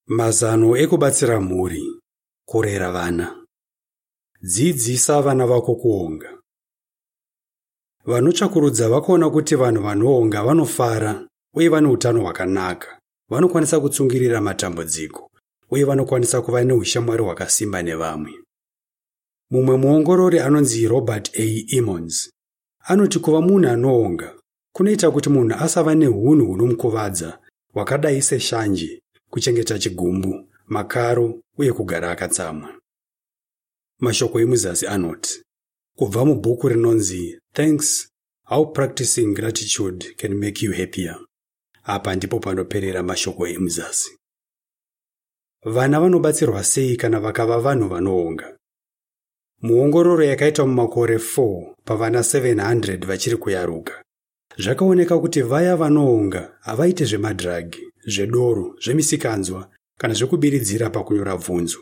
Mazano ekubatsira mhuri kurera vana. Dzidzisa vana vako kuonga. Vanotsvakurudza vakaona kuti vanhu vanoonga vanofara uye vane utano hwakanaka, vanokwanisa kutsungirira matambudziko uye vanokwanisa kuva neushamwari hwakasimba nevamwe. Mumwe muongorori anonzi Robert A. Emmons anoti kuva munhu anoonga kunoita kuti munhu asava neunhu hunomukuvadza hwakadai seshanje, kuchengeta chigumbu, makaro uye kugara akatsamwa. Mashoko emuzasi anoti kubva mubhuku rinonzi Thanks: How Practicing Gratitude Can Make You Happier. Apa ndipo panoperera mashoko emuzasi. Vana vanobatsirwa sei kana vakava vanhu vanoonga? Muongororo yakaitwa mumakore 4 pavana 700 vachiri kuyaruka, zvakaoneka kuti vaya vanoonga havaiti zvemadhiragi, zvedoro, zvemisikanzwa kana zvekubiridzira pakunyora bvunzo.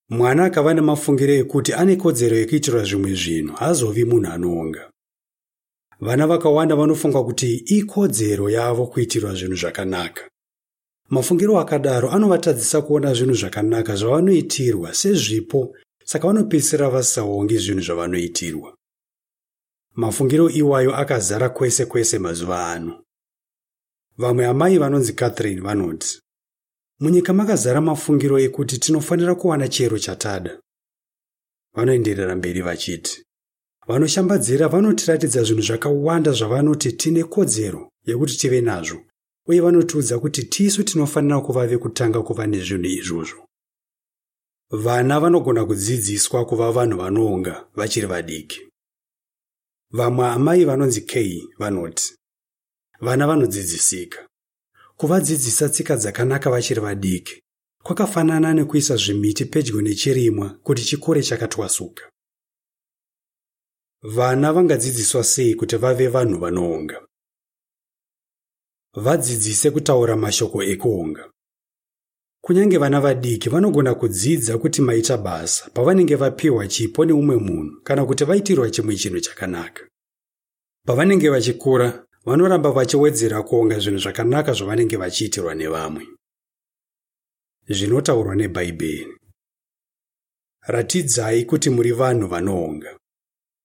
Mwana akava nemafungiro ekuti ane kodzero yekuitirwa zvimwe zvinhu haazovi munhu anoonga. Vana vakawanda vanofunga kuti ikodzero yavo kuitirwa zvinhu zvakanaka. Mafungiro akadaro anovatadzisa kuona zvinhu zvakanaka zvavanoitirwa sezvipo, saka vanopedzisira vasisaongi zvinhu zvavanoitirwa. Mafungiro iwayo akazara kwese kwese mazuva ano. Vamwe amai vanonzi Catherine vanoti, Munyika makazara mafungiro ekuti tinofanira kuwana chero chatada. Vanoenderera mberi vachiti, Vanoshambadzira vanotiratidza zvinhu zvakawanda zvavanoti tine kodzero yekuti tive nazvo uye vanotiudza kuti tisu tinofanira kuva vekutanga kuva nezvinhu izvozvo. Vana vanogona kudzidziswa kuva vanhu vanoonga vachiri vadiki. Vamwe amai vanonzi Kay vanoti, Vana vanodzidzisika. Kuvadzidzisa tsika dzakanaka vachiri vadiki kwakafanana nekuisa zvimiti pedyo nechirimwa kuti chikure chakatwasuka. Vana vangadzidziswa sei kuti vave vanhu vanoonga? Vadzidzise kutaura mashoko ekuonga. Kunyange vana vadiki vanogona kudzidza kuti maita basa pavanenge vapiwa chipo neumwe munhu kana kuti vaitirwa chimwe chinhu chakanaka. Pavanenge vachikura, vanoramba vachiwedzera kuonga zvinhu zvakanaka zvavanenge vachiitirwa nevamwe. Zvinotaurwa neBhaibheri. Ratidzai kuti muri vanhu vanoonga.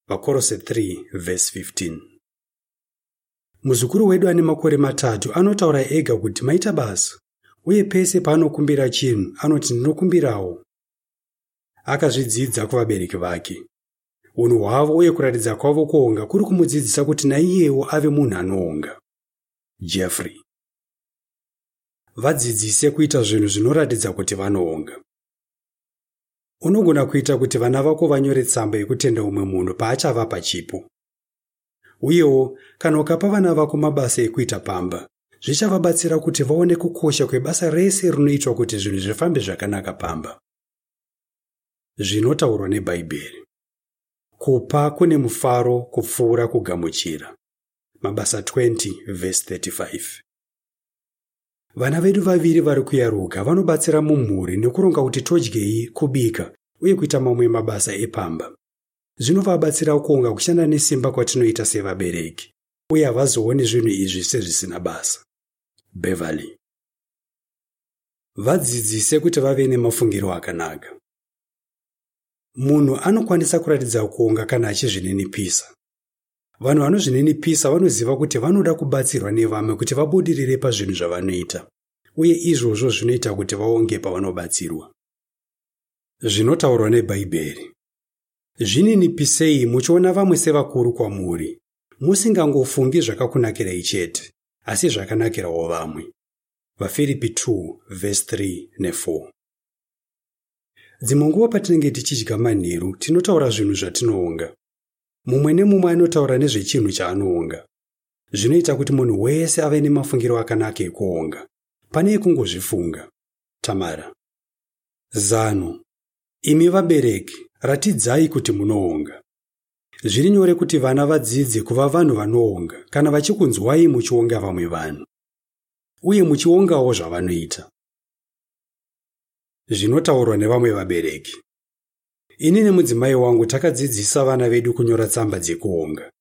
VaKorose 3 vhesi 15. Muzukuru wedu ane makore 3 anotaura ega kuti maita basa, uye pese paanokumbira chinhu anoti ndinokumbirawo. Akazvidzidza kuvabereki vake. Unhu hwavo uye kuratidza kwavo kuonga kuri kumudzidzisa kuti naiyewo ave munhu anoonga. Jeffrey. Vadzidzise kuita zvinhu zvinoratidza kuti vanoonga. Unogona kuita kuti vana vako vanyore tsamba yekutenda umwe munhu paachavapa chipo. Uyewo, kana ukapa vana vako mabasa ekuita pamba, zvichavabatsira kuti vaone kukosha kwebasa rese rinoitwa kuti zvinhu zvifambe zvakanaka pamba. Zvinotaurwa neBhaibheri. Kupa kune mufaro kupfuura kugamuchira. Mabasa 20 vhesi 35. Vana vedu vaviri vari kuyaruka vanobatsira mumhuri nekuronga kuti todyei, kubika uye kuita mamwe mabasa epamba. Zvinovabatsira kuonga kushanda nesimba kwatinoita sevabereki uye havazooni zvinhu izvi sezvisina basa. Beverly. Vadzidzise kuti vave nemafungiro akanaka. Munhu anokwanisa kuratidza kuonga kana achizvininipisa. Vanhu vanozvininipisa vanoziva kuti vanoda kubatsirwa nevamwe kuti vabudirire pazvinhu zvavanoita, uye izvozvo zvinoita kuti vaonge pavanobatsirwa. Zvinotaurwa neBhaibheri. Zvininipisei muchiona vamwe sevakuru kwamuri, musingangofungi zvakakunakirai chete, asi zvakanakirawo vamwe. VaFiripi 2 vhesi 3 ne4. Dzimwe nguva patinenge tichidya manheru, tinotaura zvinhu zvatinoonga. Mumwe nemumwe anotaura nezvechinhu chaanoonga. Zvinoita kuti munhu wese ave nemafungiro akanaka ekuonga, pane ekungozvifunga. Tamara. Zano. Imi vabereki, ratidzai kuti munoonga. Zviri nyore kuti vana vadzidze kuva vanhu vanoonga kana vachikunzwai muchionga vamwe vanhu uye muchiongawo zvavanoita. Zvinotaurwa nevamwe vabereki. Ini nemudzimai wangu takadzidzisa vana vedu kunyora tsamba dzekuonga.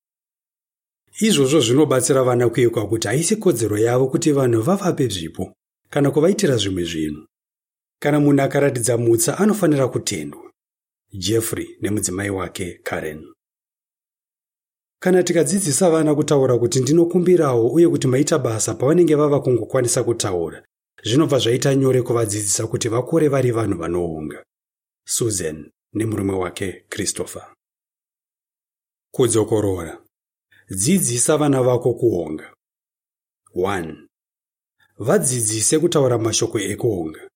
Izvozvo zvinobatsira vana kuyeuka kuti haisi kodzero yavo kuti vanhu vavape zvipo. kana kuvaitira zvimwe zvinhu. Kana munhu akaratidza mutsa anofanira kutendwa. Jeffrey nemudzimai wake Karen. Kana tikadzidzisa vana kutaura kuti ndinokumbirawo uye kuti maita basa pavanenge vava kungokwanisa kutaura, zvinobva zvaita nyore kuvadzidzisa kuti vakure vari vanhu vanoonga. Susan nemurume wake Christopher. Kudzokorora. Dzidzisa vana vako kuonga. 1. Vadzidzise kutaura mashoko ekuonga.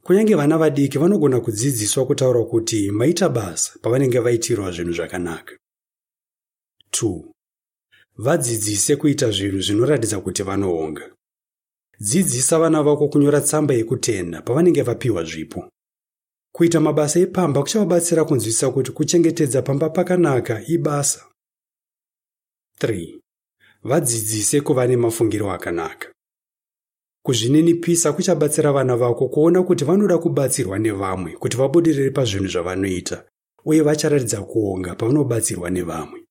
Kunyange vana vadiki vanogona kudzidziswa kutaura kuti maita basa pavanenge vaitirwa zvinhu zvakanaka. 2. Vadzidzise kuita zvinhu zvinoratidza kuti vanoonga. Dzidzisa vana vako kunyora tsamba yekutenda pavanenge vapiwa zvipo. Kuita mabasa epamba kuchavabatsira kunzwisisa kuti kuchengetedza pamba pakanaka ibasa. 3. Vadzidzise kuva nemafungiro akanaka. Kuzvininipisa kuchabatsira vana vako kuona kuti vanoda kubatsirwa nevamwe kuti vabudirire pazvinhu zvavanoita uye vacharatidza kuonga pavanobatsirwa nevamwe.